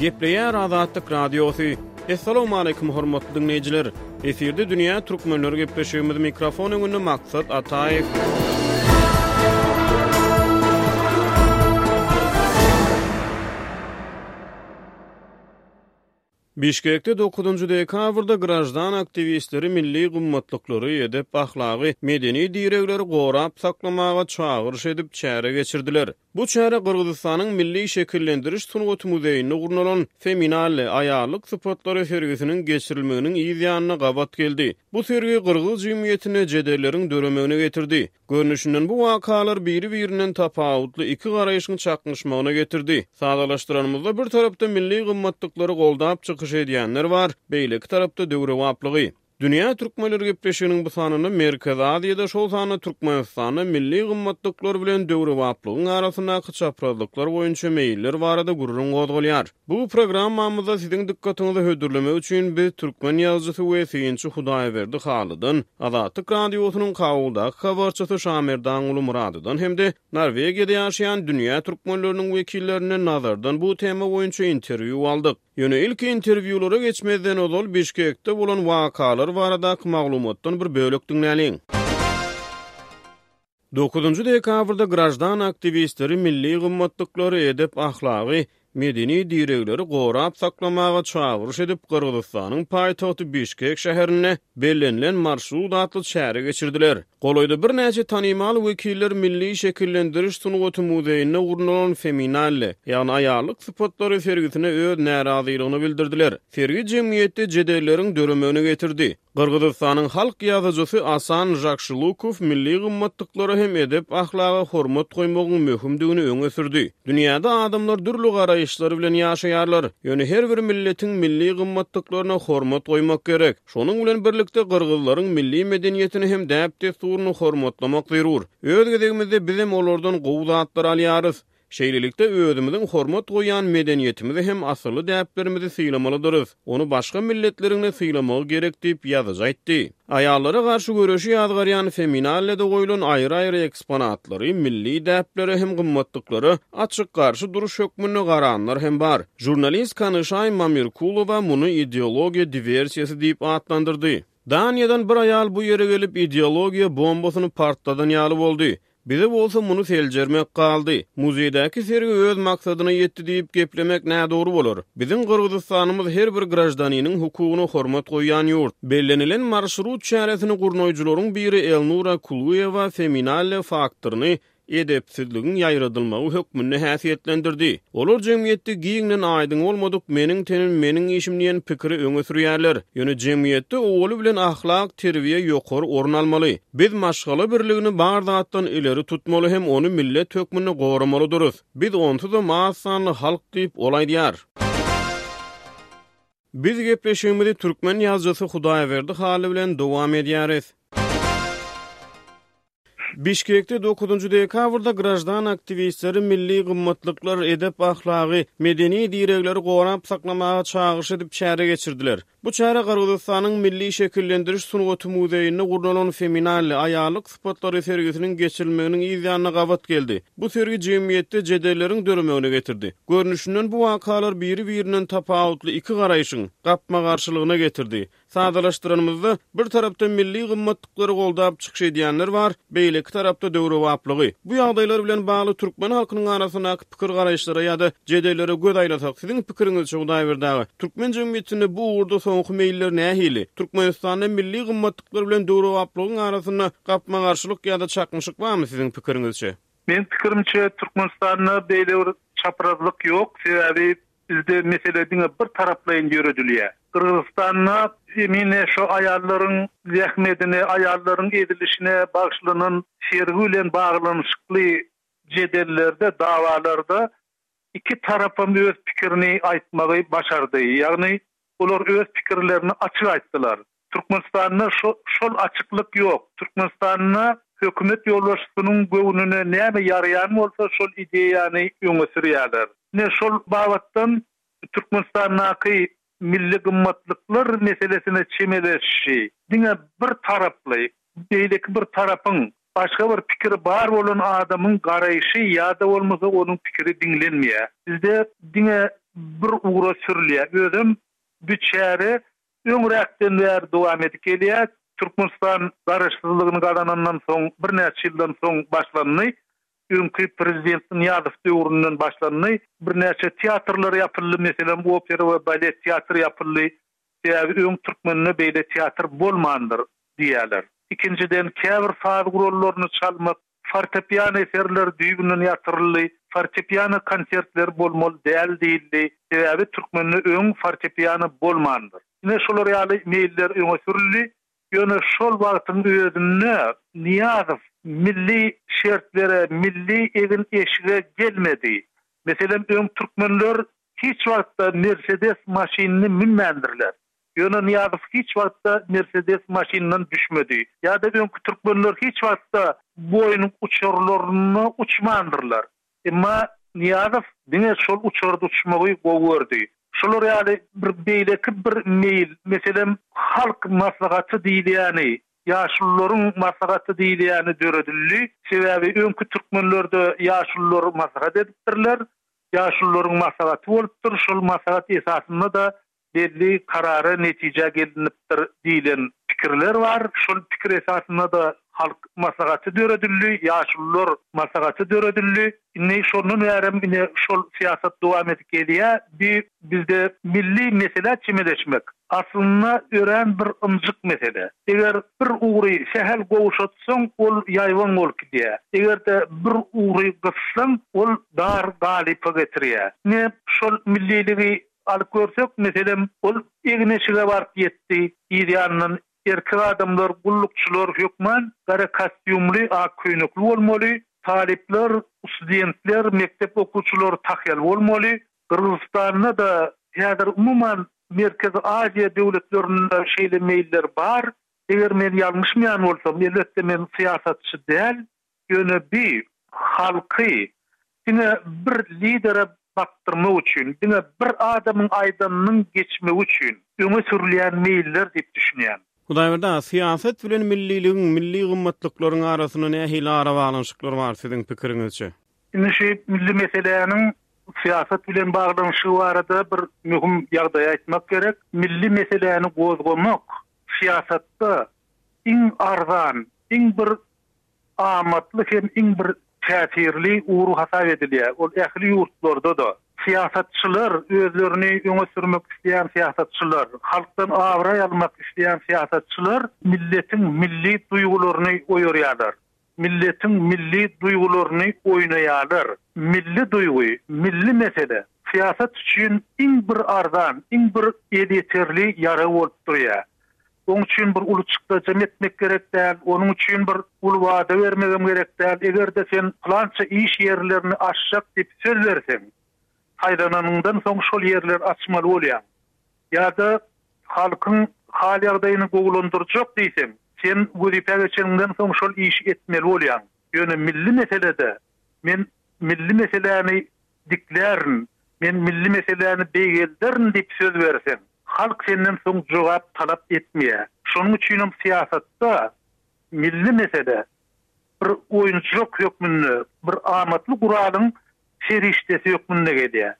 Gepleýär Azatlyk Radiosy. Assalamualaikum hormatly diňleýjiler. Efirde dünýä türkmenleri gepleşigimiz mikrofon öňünde Maksat Ataýew. Bişkekde dokuzynjy dekabrda graždan aktiwistleri milli gymmatlyklary, edep-ahlagy, medeni diregleri gorap saklamaga çagyryş edip, çäre geçirdiler. Bu çäre Gyrgyzystanyň Milli şekillendiriş sungaty muzeýinde gurnalan Feminalle, aýallyk sypatlary sergisiniň geçirilmeginiň yz ýanyna gabat geldi. Bu sergi gyrgyz jemgyýetinde jedelleriň döremegine getirdi. Görnüşinden bu wakalar biri-birinden tapawutly iki garaýşyň çaknyşmagyna getirdi. Sadalaşdyranymyzda bir tarapda milli gymmatlyklary goldap çykyş edýänler bar, beýleki tarapda döwrebaplygy. Dünýä türkmenleri gepleşiginiň bu sanynda Merkezi Aziýada, şol sanda Türkmenistanda milli gymmatlyklar bilen döwrebaplygyň arasyndaky çaprazlyklar boýunça meýiller barada gürrüň gozgalýar. Bu programmamyzda siziň dykgatyňyza hödürlemek üçin biz türkmen ýazyjysy we synçy Hudaýberdi Halydan, Azatlyk Radiosynyň Kabuldaky habarçysy Şamerdanguly Myradydan hem-de Norwegiýada ýaşaýan dünýä türkmenleriniň wekillerinden Nazardan bu tema boýunça interwýu aldyk. Ýöne ilki interwýulara geçmezden ozal Bişkekde bolan wakalar baradaky maglumatdan bir bölek diňläliň. Dokuzynjy dekabrda graždan aktiwistleri milli gymmatlyklary, edep-ahlagy, medeni diregleri gorap saklamaga çagyryş edip, Gyrgyzystanyň paýtagty Bişkek şäherinde Bellenilen marşrut atly çäre geçirdiler. Golaýda birnäçe tanymal wekiller Milli şekillendiriş sungaty muzeýinde gurnalan Feminalle, ýagny aýallyk sypatlary sergisine öz närazylygyny bildirdiler. Sergi jemgyýetde jedelleriň döremegine getirdi. Gyrgyzystanyň halk ýazyjysy Asan Žakşylukow milli gymmatlyklara hem edep-ahlaga hormat goýmagyň möhümdigini öňe sürdi. Dünýäde adamlar dürli garaýyşlar bilen ýaşaýarlar. Ýöne her bir milletiň milli gymmatlyklaryna hormat goýmak gerek. Şonuň bilen birlikde gyrgyzlaryň milli medeniýetini hem däp-dessuryny hormatlamak zerur. Öz gezegimizde bizem olardan gowy zatlary alýarys. Şeýlelikde, özümiziň hormat goýýan medeniýetimizi hem asylly däplerimizi sylamalydyrys. Ony başga milletleriň-de sylamagy gerek diýip, ýazyjy aýtdy. Aýallara garşy göreşi ýazgarýan Feminallede goýlan aýry-aýry eksponatlary milli däplere hem gymmatlyklara açyk garşy duruş hökmünde garanlar hem bar. Žurnalist Kanyşaý Mamirkulowa muny ideologiýa diwersiýasy diýip atlandyrdy. Daniýadan bir aýal bu ýere gelip, ideologiýa bombasyny partladan ýaly boldy. Bize bolsa muny seljermek galdy. Muzeýdäki sergi öz maksadyna ýetdi diýip geplemek nädogry bolar. Biziň Gyrgyzystanymyz her bir graždaniniň hukugyna hormat goýýan ýurt. Bellenilen marşrut çäresini gurnaýjylaryň biri Elnura Kuluýewa Feminalle faktoryny edepsizligiň ýaýradylmagy hökmünde häsiýetlendirdi. Olar jemgyýetde giňden aýdyň bolmadyk meniň tenim meniň işim diýen pikiri öňe sürýärler. Ýöne jemgyýetde owaly bilen ahlak, terbiýe ýokary orun almaly. Biz maşgala birligini bar zatdan ileri tutmaly hem ony millet hökmünde goramalydyrys. Biz onsuzam az sanly halk diýip, ol aýdýar. Biz gepleşigimizi türkmen ýazyjysy Hudaýberdi Hally bilen dowam edýäris. Bişkekde dokuzynjy dekabrda graždan aktiwistleri milli gymmatlyklar, edep-ahlagy, medeni diregleri gorap saklamaga çagyryş edip çäre geçirdiler. Bu çäre Gyrgyzystanyň Milli şekillendiriş sungaty muzeýinde gurnalan Feminalle, aýallyk sypatlary sergisiniň geçirilmeginiň yz ýanyna gabat geldi. Bu sergi jemgyýetde jedelleriň döremegine getirdi. Görnüşinden bu wakalar biri-birinden tapawutly iki garaýşyň gapma-garşylygyna getirdi. Sadalaşdyranymyzda, bir tarapda milli gymmatlyklary goldap çykyş edýänler bar, beýleki tarapda döwrebaplygy. Bu ýagdaýlar bilen bagly türkmen halkynyň arasyndaky pikir-garaýyşlara ýa-da jedellere göz aýlasak, siziň pikiriňizçe, Hudaýberdi aga, türkmen jemgyýetinde bu ugurda soňky meýiller nähili? Türkmenistanda milli gymmatlyklar bilen döwrebaplygyň arasynda gapma-garşylyk ýa-da çaknyşyk barmy siziň pikiriňizçe? Meň pikirimçe, Türkmenistanda beýle bir çaprazlyk ýok, sebäbi Bizde mesele diňe bir taraplaýyn ýöredilýär. Gyrgyzystanda emine şo aýallaryň zähmedine, aýallaryň ezilişine bagyşlanan sergi bilen baglanyşykly jedellerde, dawalarda iki tarapam öz pikirini aýtmagy başardy. Ýagny olar öz pikirlerini açyk aýtdylar. Türkmenistanda şo şol açyklyk ýok. Türkmenistanda hökümet ýolbaşçysynyň göwnüne näme ýaraýan bolsa şol ideýany öňe sürýärler. Ine şol babatdan Türkmenistandaky milli gymmatlyklar meselesine çemeleşişi diňe bir taraply, beýleki bir tarapyň, başga bir pikiri bar bolan adamyň garaýşy ýa-da bolmasa onuň pikiri diňlenmeýär. Bizde diňe. bir ugra sürülýär. Özem bu çäre öňräkden bäri dowam edip gelýär. Türkmenistan Garaşsyzlygyny gazanandan soň birnäçe ýyldan soň başlandy. Öňki prezident Nyýazow döwründen başlandy. Birnäçe teatrlar ýapyldy, meselem, opera we balet teatry ýapyldy. Sebäbi öň türkmende beýle teatr bolmandyr diýýärler. Ikinjiden, käbir saz gurallaryny çalmak, fortepiano eserleri düýbünden ýatyryldy. Fortepiano konsertleri bolmaly däl diýildi. Sebäbi türkmende öň fortepiano bolmandyr. Ine şolar ýaly meýiller öňe sürüldi. Ýöne şol wagtyň özünde Nyýazow milli şertlere, milli egin-eşige gelmedi. Meselem, öň türkmenler hiç wagtda Mersedes maşynyny münmändirler. Ýöne Nyýazow hiç wagtda Mersedes maşynyndan düşmedi. Ýa-da öňki türkmenler hiç wagtda Boeing uçarlarynda uçmandyrlar. Emma Nyýazow diňe şol uçarda uçmagy gowy gördi. Şolar ýaly bir beýleki bir meýil, meselem, Halk maslahaty diýilýäni, ýaşulularyň maslahaty diýilýäni döredildi. Sebäbi öňki türkmenlerde ýaşulular maslahat edipdirler. Ýaşulularyň maslahaty bolupdyr. Şol maslahat esasynda-da belli karara, netijä gelinipdir diýlen pikirler bar. Şol pikir esasynda-da Halk Maslahaty döredildi, Ýaşulular Maslahaty döredildi. Indi şondan bärem ine şol syýasat dowam edip gelýär. Bi bizde milli meselä çemeleşmek aslynda örän bir ynjyk mesele. Eger bir ugry sähel gowşatsaň, ol ýaýbaň bolup gidýär. Eger-de bir ugry gyssaň, ol dar galypa getirýär. Ine şol milliligi Alyp görsek, meselem, ol egin-eşige baryp ýetdi, yz ýanyndan erkek adamlar, gullukçylar hökman gara kostýumly, ak köýnekli bolmaly, talyplar, studentler, mekdep okuwçylary tahýaly bolmaly. Gyrgyzystanda-da, häzir umuman Merkezi Aziýa döwletlerinde şeýle meýiller bar. Eger men ýalňyşmaýan bolsam, elbetde men syýasatçy däl, Ýöne bi halky diňe bir lidere bakdyrmak üçin, diňe bir adamyň aýdanynyň geçmegi üçin öňe sürülýän meýiller diýip düşünýän. Hudaýberdi aga, syýasat bilen milliligiň, milli gymmatlyklaryň arasynda nähili arabaglanyşyklar bar siziň pikiriňizçe? Indi şu milli meseläniň syýasat bilen baglanyşygy barada bir möhüm ýagdaýy aýtmak gerek. Milli meseläni gozgamak syýasatda iň arzan, iň bir amatly hem iň bir täsirli ugur hasap edilýär. Ol ähli ýurtlarda-da. Syýasatçylar, özlerini öňe sürmek isleýän syýasatçylar, halkdan abraý almak isleýän syýasatçylar milletiň milli duýgularyny oýarýarlar. Milletiň milli duýgularyny oýnaýarlar. Milli duýgy, milli mesele syýasat üçin iň bir arzan, iň bir elýeterli ýarag bolup durýar. Oň üçin bir uly çykdajam etmek gerek däl, onuň üçin bir uly wada bermegem gerek däl. Eger-de sen pylança iş ýerlerini açjak diýip söz berseň, saýlananyňdan soň şol ýerleri açmaly bolýaň. Ýa-da halkyň hal-ýagdaýyny gowulandyrjak diýseň, sen wezipä geçeniňden soň şol işi etmeli bolýaň. Ýöne milli meselede men milli meseläni diklärin, men milli meseläni beýgelderin diýip söz berseň, halk senden soň jogap talap etmeýär. Şonuň üçinem syýasatda milli mesele bir oýunjak hökmünde, bir amatly guralyň serişdesi hökmünde gelýär.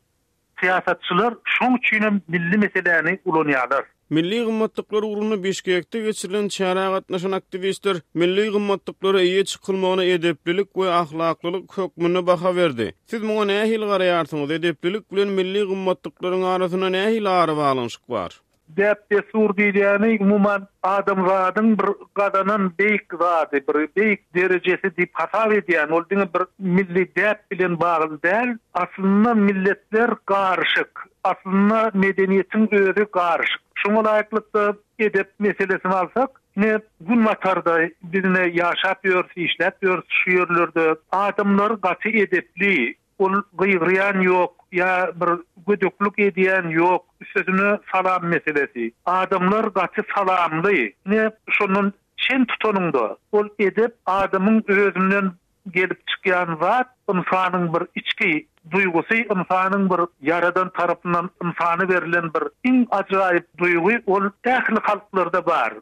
Syýasatçylar şoň üçinem milli meseläni ulanýarlar. Milli gymmatlyklar ugrunda Bişkekde geçirilen çärä gatnaşan aktiwistler milli gymmatlyklara eýe çykylmagyna edeplilik we ahlaklylyk hökmünde baha berdi. Siz muňa nähili garaýarsyňyz, edeplilik bilen milli gymmatlyklaryň arasynda nähili arabaglanyşyk bar? Däp-dessur diýilýäni umuman adamzadyň bir gazanan beýik zady, bir beýik derejesi diýip hasap edýän, ol diňe bir milli däp bilen bagly däl. Aslynda milletler garyşyk, aslynda medeniýetiň özi garyşyk. Şoňa laýyklykda edep meselesini alsak, ine Günbatarda biz ine ýaşap ýörüs, işläp ýörüs şu ýerlerde adamlar gaty edepli, Ol gygyrýan ýok, ýa bir gödeklik edýän ýok, üstesine salam meselesi. Adamlar gaty salamly. Ine, şondan çen tutanyňda, ol edep adamyň özünden gelip çykýan zat, ynsanyň bir içki duýgusy, ynsanyň bir Ýaradan tarapyndan ynsana berlen bir iň ajaýyp duýgy, ol ähli halklarda bar.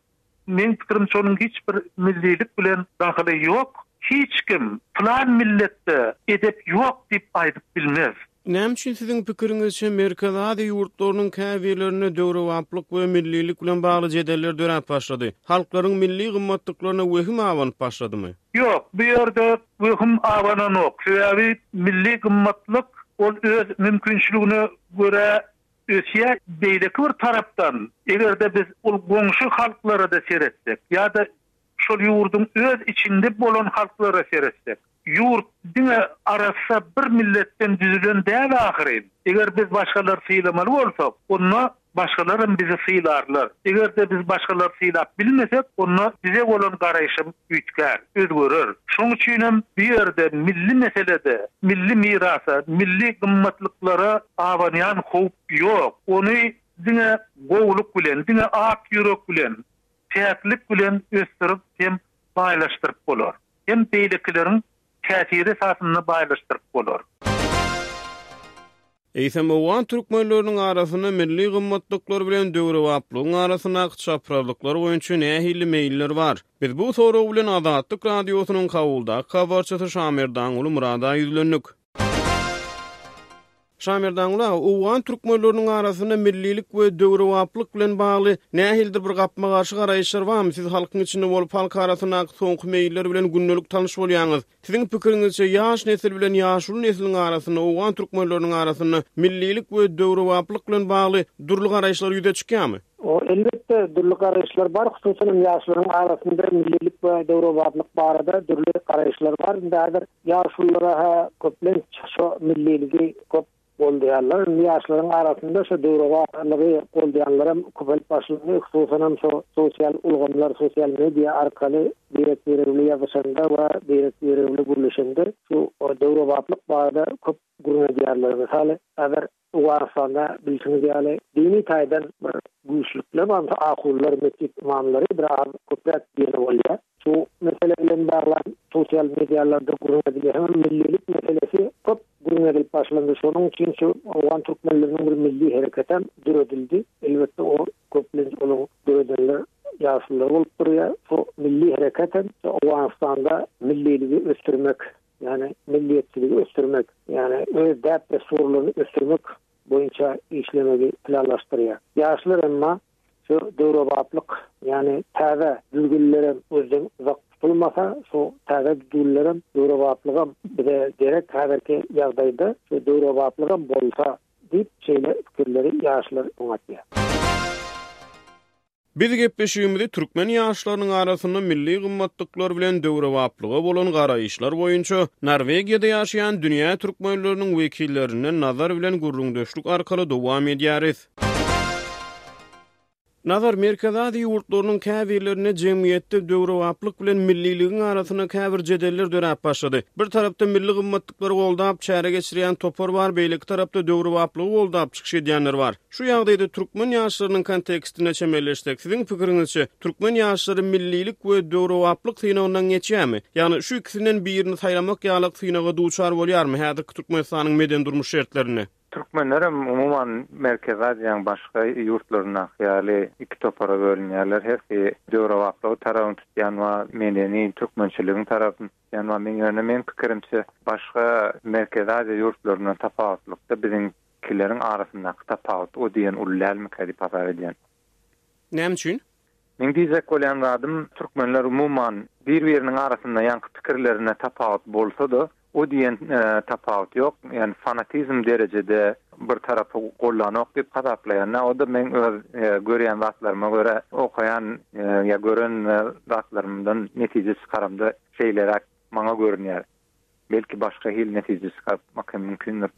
Meň pikirimçe onuň hiç bir millilik bilen dahyly ýok. Hiç kim pylan milletde edep ýok diýip aýdyp bilmez. Näme üçin siziň pikiriňizçe Merkezi Aziýa ýurtlarynyň käbirlerinde döwrebaplyk we millilik bilen bagly jedeller döräp başlady? Halklaryň milli gymmatlyklaryna wehim abanyp başladymy? Ýok, bu ýerde wehim abananok. Sebäbi milli gymmatlyk ol öz mümkinçiligine görä ösýär. Beýleki bir tarapdan, eger-de biz ol goňşy halklara-da seretsek ýa-da şol ýurduň öz içinde bolan halklara seretsek, ýurt diňe arassa bir milletden düzülen däl ahyryn. Eger biz başgalary sylamaly bolsak, onda başgalaram bizi sylarlar. Eger-de biz başgalary sylap bilmesek, onda bize bolan garaýşam üýtgär, özgerer. Şoň üçinem bu ýerde milli meselede milli mirasa, milli gymmatlyklara abanýan howp ýok. Ony diňe gowulyk bilen, diňe ak ýürek bilen, päklik bilen ösdürip hem baýlaşdyryp bolar. Hem beýlekileriň täsiri esasynda baýlaşdyryp bolar. Eýsem, owgan türkmenleriniň arasynda milli gymmatlyklar bilen döwrebaplygyň arasyndaky çaprazlyklar boýunça nähili meýiller bar? Biz bu sorag bilen Azatlyk Radiosynyň Kabuldaky habarçysy Şamerdanguly Myrada ýüzlendik. Şamerdanguly aga, owgan türkmenleriniň arasynda millilik we döwrebaplyk bilen bagly nähilidir bir gapma-garşy garaýyşlar barmy? Siz halkyň içinde bolup, halk arasyndaky soňky meýiller bilen gündelik tanyş bolýaňyz. Siziň pikiriňizçe, ýaş nesil bilen ýaşuly nesliň arasynda, owgan türkmenleriniň arasynda millilik we döwrebaplyk bilen bagly dürli garaýyşlar ýüze çykýarmy? Elbetde, dürli garaýyşlar bar. Hususan hem ýaşlaryň arasynda millilik we döwrebaplyk barada dürli garaýyşlar bar. Indi häzir ýaşululara-ha köplenç şo milliligi köp goldaýarlar. Indi ýaşlaryň arasynda şo döwrebaplygy goldaýanlaram köpelip başlandy. Hususanam şo sosial ulgamlar, sosial media arkaly birek-biregi bilen ýazyşanda we birek-biregi bilen gürleşende şu döwrebaplyk barada köp gürrüň edýärler. Mysaly, häzir Owganystanda bilşiňiz ýaly dini taýdan bir güýçlükler bar. Mysal ahunlar, metjit ymamlary bir az köpräk diýeni bolýar. Şu mesele bilen baglan sosial medialarda gürrüň edilýär. Hemem millilik meselesi köp gürrüň edilip başlandy. Şonuň üçin şu owgan türkmenleriniň bir milli hereketem döredildi. Elbetde o köplenç onuň döredenler ýaşulular bolup durýar. Şu milli hereketem Owganystanda milliligi ösdürmek, ýagny milliýetçiligi ösdürmek, ýagny öz däp-dessurlaryny ösdürmek boýunça işlemegi planlaşdyrýar. Ýaşlar emma şu döwrebaplyk, ýagny täze düzgünlerem gözden uzak tutulmasa, şu täze düzgünlerem, döwrebaplygam bize gerek häzirki ýagdaýda, şu döwrebaplygam bolsa diýip, şeýle pikirleri ýaşlar öňe atýar. Biz gepleşigimizi türkmen ýaşlarynyň arasynda milli gymmatlyklar bilen döwrebaplyga bolan garaýyşlar boýunça Norwegiýada ýaşaýan dünýä türkmenleriniň wekillerinden Nazar bilen gürrüňdeşlik arkaly dowam edýäris. Nazar, Merkezi Aziýa ýurtlarynyň käbirlerinde jemgyýetde döwrebaplyk bilen milliligiň arasynda käbir jedeller döräp başlady. Bir tarapda milli gymmatlyklary goldap çäre geçirýän topar bar, beýleki tarapda döwrebaplygy goldap çykyş edýänler bar. Şu ýagdaýda türkmen ýaşlarynyň kontekstinde çemeleşsek, siziň pikiriňizçe, türkmen ýaşlary millilik we döwrebaplyk synagyndan geçýärmi? Ýagny şu ikisinden birini saýlamak ýalyk synaga duçar bolýarmy häzirki Türkmenistanyň medeni-durmuş şertlerinde? Türkmenlerem umuman Merkezi Aziýanyň başga ýurtlaryndaky ýaly iki topara bölünýärler. Hersi döwrebaplygy tarabyny tutýan bar, medeni türkmençiligiň tarapyny tutýan bar. Men ýöne meň pikirimçe başga Merkezi Aziýa ýurtlaryndan tapawutlykda biziňkileriň arasyndaky tapawut o diýen uly dälmikä diýip hasap edýän. Näme üçin? Meň diýjek bolýan zadym, türkmenler umuman bir-biriniň arasynda ýaňky pikirlerinde tapawut bolsa-da, o diýen tapawut ýok. Ýagny fanatizm derejede bir tarapy gollanok diýip hasaplaýan-da. O-da meň öz görýän zatlaryma görä, okaýan ýa gören zatlarymdan netije çykaramda şeýleräk maňa görünýär. Belki başga hili netije çykarmak hem mümkindir.